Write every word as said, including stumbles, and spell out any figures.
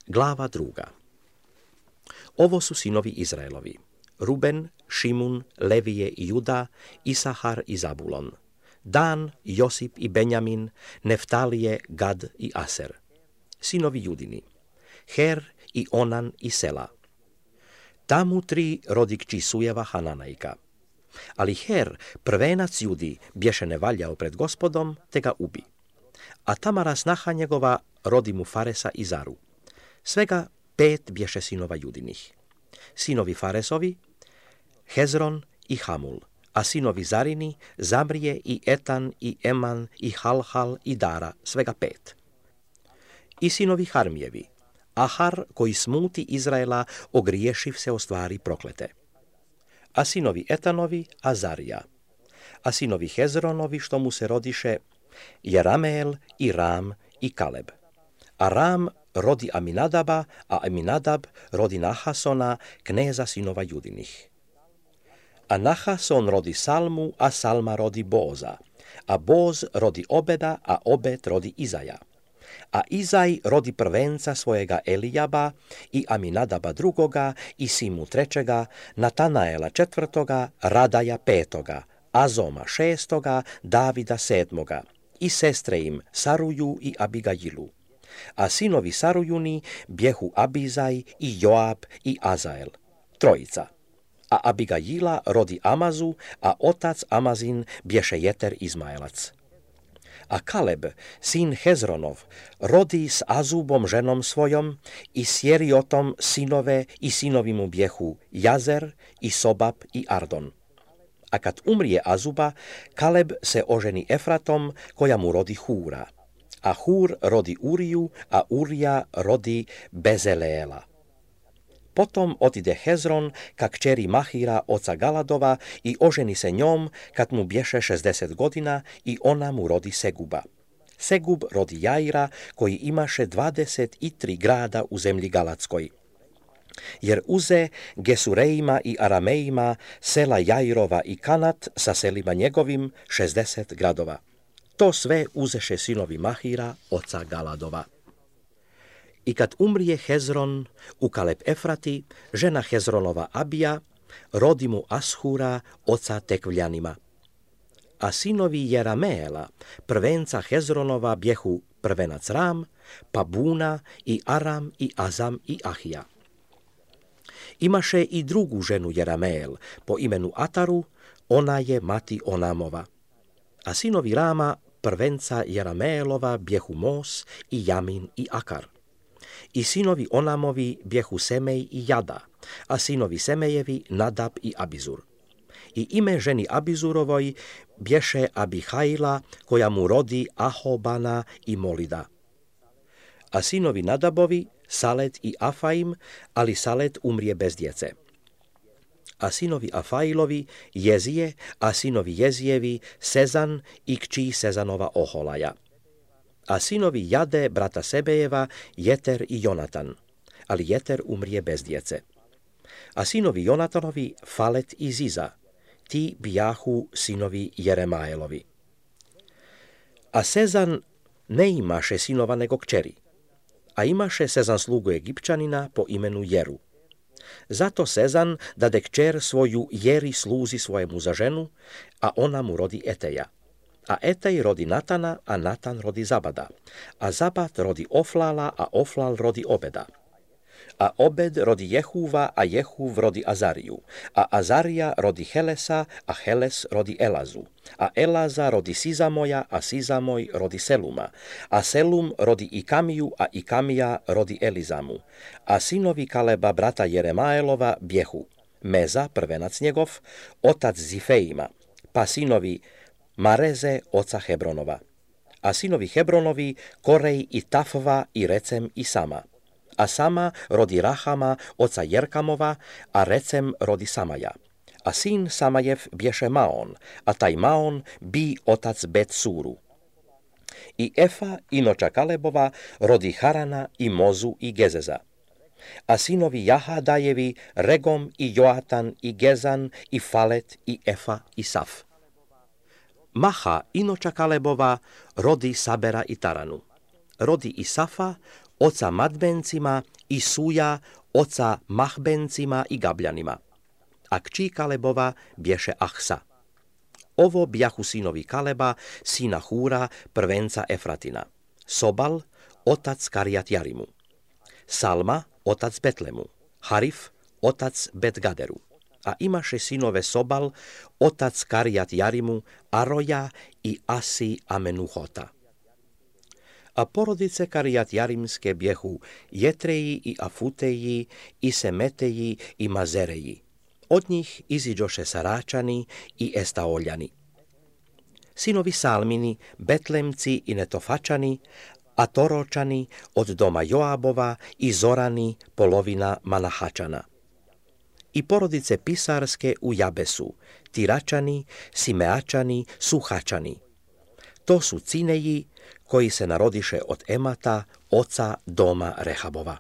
Glava druga. Ovo su sinovi Izraelovi: Ruben, Šimun, Levije i Juda, Isahar i Zabulon, Dan, Josip i Benjamin, Neftalije, Gad i Aser. Sinovi Judini: Her i Onan i Sela. Tamu tri rodi kći Sujeva Hananajka. Ali Her, prvenac Judi, bješe nevaljao pred Gospodom, te ga ubi. A Tamara, snaha njegova, rodi mu Faresa i Zaru. Svega pet bješe sinova Judinih. Sinovi Faresovi: Hezron i Hamul, a sinovi Zarini: Zamrije i Etan i Eman i Halhal i Dara, svega pet. I sinovi Harmijevi: Ahar, koji smuti Izraela, ogriješiv se o stvari proklete. A sinovi Etanovi: Azarija. A sinovi Hezronovi, što mu se rodiše: Jerameel i Ram i Kaleb. A Ram rodi Aminadaba, a Aminadab rodi Nahasona, kneza sinova Judinih. A Nahason rodi Salmu, a Salma rodi Boza, a Boz rodi Obeda, a Obed rodi Izaja. A Izaj rodi prvenca svojega Elijaba i Aminadaba drugoga i Simu trećega, Natanaela četvrtoga, Radaja petoga, Azoma šestoga, Davida sedmoga i sestre im Saruju i Abigajilu. A sinovi Sarujuni bjehu Abizaj i Joab i Azael, trojica. A Abigajila rodi Amazu, a otac Amazin bješe Jeter Izmaelac. A Kaleb, sin Hezronov, rodi s Azubom ženom svojom i s Jeriotom sinove i sinovi mu bjehu Jazer i Sobab i Ardon. A kad umrije Azuba, Kaleb se oženi Efratom, koja mu rodi Hura. A Hur rodi Uriju, a Urija rodi Bezeleela. Potom otide Hezron ka kćeri Mahira, oca Galadova, i oženi se njom kad mu bješe šezdeset godina i ona mu rodi Seguba. Segub rodi Jaira, koji imaše dvadeset i tri grada u zemlji Galadskoj. Jer uze Gesurejima i Aramejima sela Jairova i Kanat sa selima njegovim šezdeset gradova. To sve uzeše sinovi Mahira, oca Galadova. I kad umrije Hezron u Kaleb Efrati, žena Hezronova Abija rodi mu Ashura, oca Tekvljanima. A sinovi Jerameela, prvenca Hezronova, bjehu prvenac Ram, pa Buna i Aram i Azam i Ahija. Imaše i drugu ženu Jerameel po imenu Ataru, ona je mati Onamova. A sinovi Rama, prvenca Jerameelova, bjehu Mos i Jamin i Akar. I sinovi Onamovi bjehu Semej i Jada, a sinovi Semejevi Nadab i Abizur. I ime ženi Abizurovoj bješe Abihajla, koja mu rodi Ahobana i Molida. A sinovi Nadabovi Salet i Afaim, ali Salet umrije bez djece. A sinovi Afailovi Jezije, a sinovi Jezijevi Sezan i kći Sezanova Oholaja. A sinovi Jade, brata Sebejeva, Jeter i Jonatan, ali Jeter umrije bez djece. A sinovi Jonatanovi Falet i Ziza, ti bijahu sinovi Jeremaelovi. A Sezan ne imaše sinova nego kćeri, a imaše Sezan slugu Egipćanina po imenu Jeru. Zato Sezan dade kćer svoju Jeri sluzi svojemu za ženu, a ona mu rodi Eteja. A Etej rodi Natana, a Natan rodi Zabada. A Zabad rodi Oflala, a Oflal rodi Obeda. A Obed rodi Jehuva, a Jehuv rodi Azariju. A Azarija rodi Helesa, a Heles rodi Elazu. A Elaza rodi Sizamoja, a Sizamoj rodi Seluma. A Selum rodi Ikamiju, a Ikamija rodi Elizamu. A sinovi Kaleba, brata Jeremaelova, bjehu Meza, prvenac njegov, otac Zifejima, pa sinovi Mareze, oca Hebronova. A sinovi Hebronovi Korej i Tafva i Recem i Sama. A Sama rodi Rahama, oca Jerkamova, a Recem rodi Samaja. A sin Samajev bješe Maon, a taj Maon bi otac Bet Suru. I Efa, inoča Kalebova, rodi Harana i Mozu i Gezeza. A sinovi Jahadajevi Regom i Joatan i Gezan i Falet i Efa i Saf. Maha, inoča Kalebova, rodi Sabera i Taranu. Rodi Isafa, oca Madbencima i Súja, oca Machbencima i Gabljanima. A kći Kalebova bješe Achsa. Ovo bjahu sinovi Kaleba, sina Húra, prvenca Efratina. Sobal, otac Karijat Jarimu. Salma, otac Betlemu. Harif, otac Bet-Gaderu. A imaše sinove Sobal, otac Karijat Jarimu, Aroja i Asi Amenuhota. A porodice Karijat Jarimske bjehu Jetreji i Afuteji i Semeteji i Mazereji. Od njih iziđoše Saračani i Estaoljani. Sinovi Salmini, Betlemci i Netofačani, a Toročani od doma Joabova i Zorani, polovina Manahačana. I porodice Pisarske u Jabesu, Tiračani, Simeačani, Suhačani. To su Cineji koji se narodiše od Emata, oca doma Rehabova.